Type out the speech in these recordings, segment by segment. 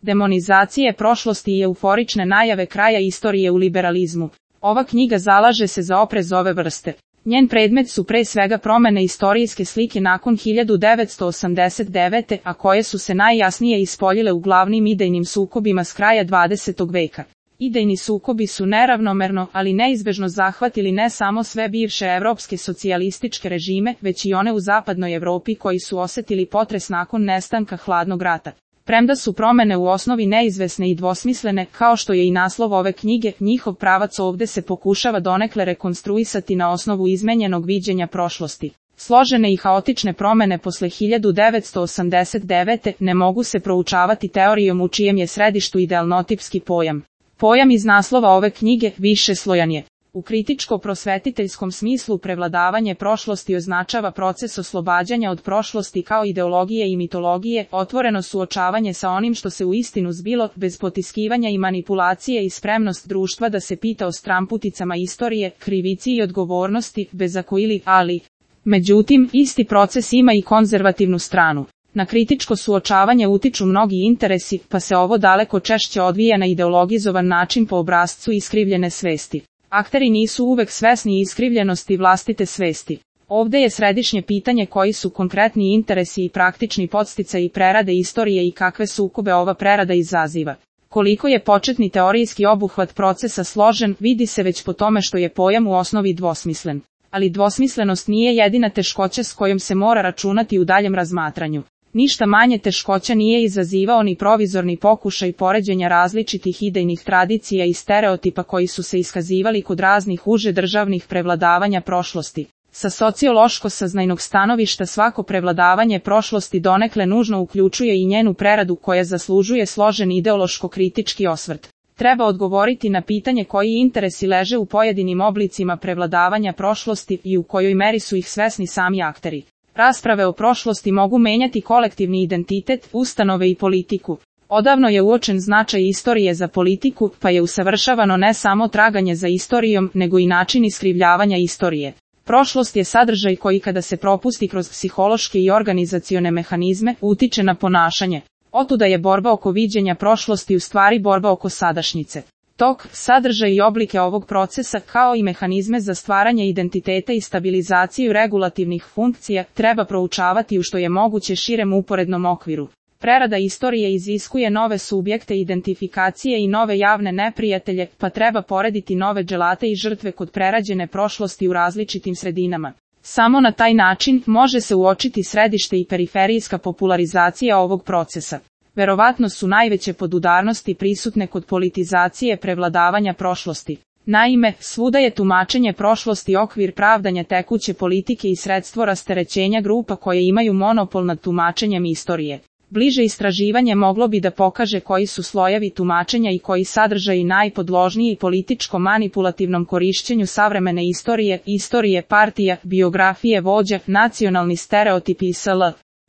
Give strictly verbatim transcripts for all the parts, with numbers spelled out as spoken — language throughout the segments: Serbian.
demonizacije prošlosti i euforične najave kraja istorije u liberalizmu. Ova knjiga zalaže se za oprez ove vrste. Njen predmet su pre svega promene istorijske slike nakon hiljadu devetsto osamdeset devete. a koje su se najjasnije ispoljile u glavnim idejnim sukobima s kraja dvadesetog veka. Idejni sukobi su neravnomerno, ali neizbežno zahvatili ne samo sve bivše evropske socijalističke režime, već i one u zapadnoj Evropi koji su osetili potres nakon nestanka hladnog rata. Premda su promene u osnovi neizvesne i dvosmislene, kao što je i naslov ove knjige, njihov pravac ovde se pokušava donekle rekonstruisati na osnovu izmenjenog viđenja prošlosti. Složene i haotične promene posle hiljadu devetsto osamdeset devete. ne mogu se proučavati teorijom u čijem je središtu idealnotipski pojam. Pojam iz naslova ove knjige višeslojan je. U kritičko-prosvetiteljskom smislu prevladavanje prošlosti označava proces oslobađanja od prošlosti kao ideologije i mitologije, otvoreno suočavanje sa onim što se uistinu zbilo, bez potiskivanja i manipulacije i spremnost društva da se pita o stramputicama istorije, krivici i odgovornosti, bez ako ili ali. Međutim, isti proces ima i konzervativnu stranu. Na kritičko suočavanje utiču mnogi interesi, pa se ovo daleko češće odvija na ideologizovan način po obrascu iskrivljene svesti. Akteri nisu uvek svesni iskrivljenosti vlastite svesti. Ovde je središnje pitanje koji su konkretni interesi i praktični podsticaji prerade istorije i kakve sukobe ova prerada izaziva. Koliko je početni teorijski obuhvat procesa složen, vidi se već po tome što je pojam u osnovi dvosmislen. Ali dvosmislenost nije jedina teškoća s kojom se mora računati u daljem razmatranju. Ništa manje teškoća nije izazivao ni provizorni pokušaj poređenja različitih idejnih tradicija i stereotipa koji su se iskazivali kod raznih uže državnih prevladavanja prošlosti. Sa sociološko-saznajnog stanovišta svako prevladavanje prošlosti donekle nužno uključuje i njenu preradu koja zaslužuje složen ideološko-kritički osvrt. Treba odgovoriti na pitanje koji interesi leže u pojedinim oblicima prevladavanja prošlosti i u kojoj meri su ih svesni sami akteri. Rasprave o prošlosti mogu menjati kolektivni identitet, ustanove i politiku. Odavno je uočen značaj istorije za politiku, pa je usavršavano ne samo traganje za istorijom, nego i način iskrivljavanja istorije. Prošlost je sadržaj koji kada se propusti kroz psihološke i organizacione mehanizme, utiče na ponašanje. Otuda je borba oko viđenja prošlosti u stvari borba oko sadašnjice. Tok, sadržaj i oblike ovog procesa, kao i mehanizme za stvaranje identiteta i stabilizaciju regulativnih funkcija, treba proučavati u što je moguće širem uporednom okviru. Prerada istorije iziskuje nove subjekte identifikacije i nove javne neprijatelje, pa treba porediti nove dželate i žrtve kod prerađene prošlosti u različitim sredinama. Samo na taj način može se uočiti središte i periferijska popularizacija ovog procesa. Verovatno su najveće podudarnosti prisutne kod politizacije prevladavanja prošlosti. Naime, svuda je tumačenje prošlosti okvir pravdanja tekuće politike i sredstvo rasterećenja grupa koje imaju monopol nad tumačenjem istorije. Bliže istraživanje moglo bi da pokaže koji su slojevi tumačenja i koji sadržaji najpodložniji političko-manipulativnom korišćenju savremene istorije, istorije partija, biografije vođa, nacionalni stereotipi i sl.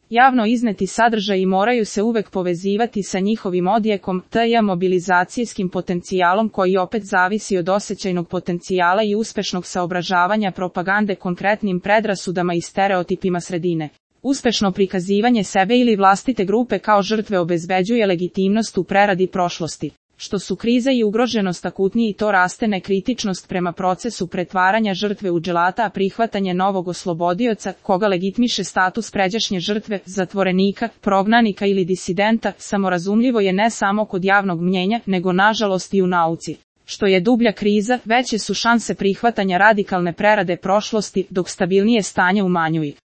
Javno izneti sadržaji moraju se uvek povezivati sa njihovim odjekom, tj. mobilizacijskim potencijalom koji opet zavisi od osjećajnog potencijala i uspešnog saobražavanja propagande konkretnim predrasudama i stereotipima sredine. Uspešno prikazivanje sebe ili vlastite grupe kao žrtve obezbeđuje legitimnost u preradi prošlosti. Što su kriza i ugroženost akutniji, to raste nekritičnost prema procesu pretvaranja žrtve u dželata, a prihvatanje novog oslobodioca, koga legitimiše status pređašnje žrtve, zatvorenika, prognanika ili disidenta, samorazumljivo je ne samo kod javnog mnjenja, nego nažalost i u nauci. Što je dublja kriza, veće su šanse prihvatanja radikalne prerade prošlosti, dok stabilnije stanje umanjuju.